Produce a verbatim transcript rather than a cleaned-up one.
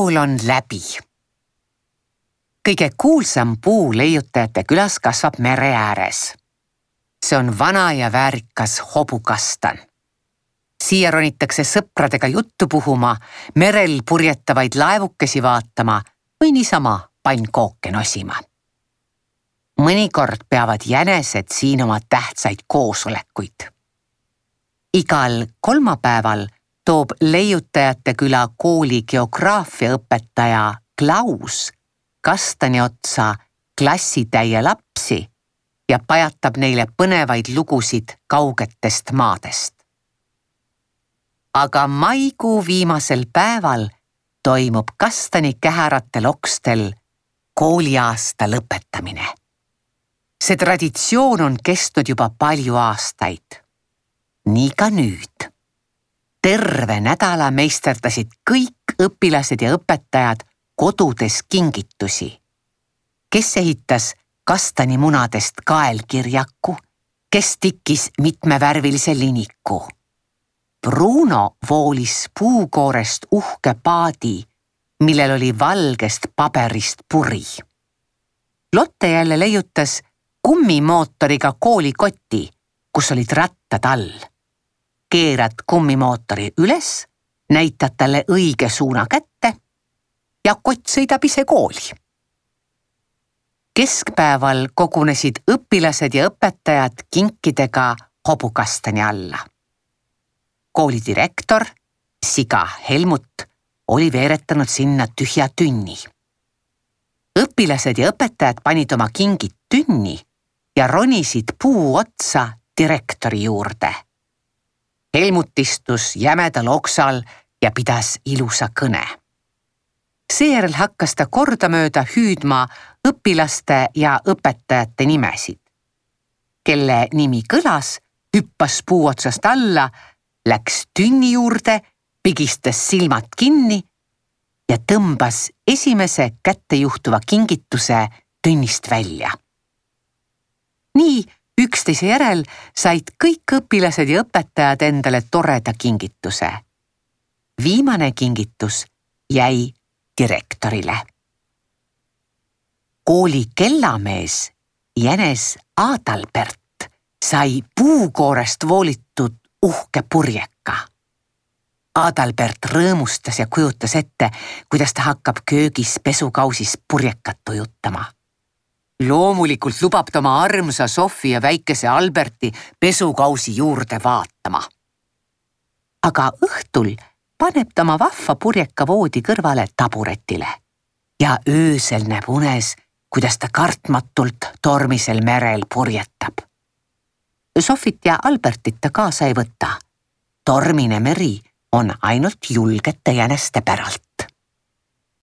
kool on läbi. Kõige kuulsam puu leiutajate külas kasvab mere ääres. See on vana ja väärikas hobukastan. Siia ronitakse sõpradega juttu puhuma, merel purjetavaid laevukesi vaatama või niisama pannkooke nosima. Mõnikord peavad jänesed siin oma tähtsaid koosolekuid. Igal kolmapäeval toob leiutajate küla kooli geograafiaõpetaja Klaus kastani otsa klassitäie lapsi ja pajatab neile põnevaid lugusid kaugetest maadest. Aga maikuu viimasel päeval toimub kastani kähäratel okstel kooliaasta lõpetamine. See traditsioon on kestnud juba palju aastaid. Nii ka nüüd. Terve nädala meisterdasid kõik õpilased ja õpetajad kodudes kingitusi. Kes ehitas kastani munadest kaelkirjaku, kes tikkis mitmevärvilise liniku. Bruno voolis puukoorest uhke paadi, millel oli valgest paberist puri. Lotte jälle leiutas kummimootoriga koolikoti, kus olid rattad all. Keerad kummimootori üles, näitad talle õige suuna kätte ja kott sõidab ise kooli. Keskpäeval kogunesid õpilased ja õpetajad kinkidega hobukastani alla. Kooli direktor, siga Helmut, oli veeretanud sinna tühja tünni. Õpilased ja õpetajad panid oma kingid tünni ja ronisid puu otsa direktori juurde. Helmut istus jämedal oksal ja pidas ilusa kõne. Seejärel hakkas ta kordamööda hüüdma õpilaste ja õpetajate nimesid. Kelle nimi kõlas, hüppas puu otsast alla, läks tünni juurde, pigistas silmad kinni ja tõmbas esimese kätte juhtuva kingituse tünnist välja. Nii üksteise järel said kõik õpilased ja õpetajad endale toreda kingituse. Viimane kingitus jäi direktorile. Kooli kellamees Jänes Adalbert sai puukoorest voolitud uhke purjeka. Adalbert rõõmustas ja kujutas ette, kuidas ta hakkab köögis pesukausis purjekat tujutama. Loomulikult lubab ta oma armsa Sofi ja väikese Alberti pesukausi juurde vaatama. Aga õhtul paneb ta oma vahva purjeka voodi kõrvale taburetile ja öösel näeb unes, kuidas ta kartmatult tormisel merel purjetab. Sofit ja Albertit ta kaasa ei võta. Tormine meri on ainult julgete jäneste päralt.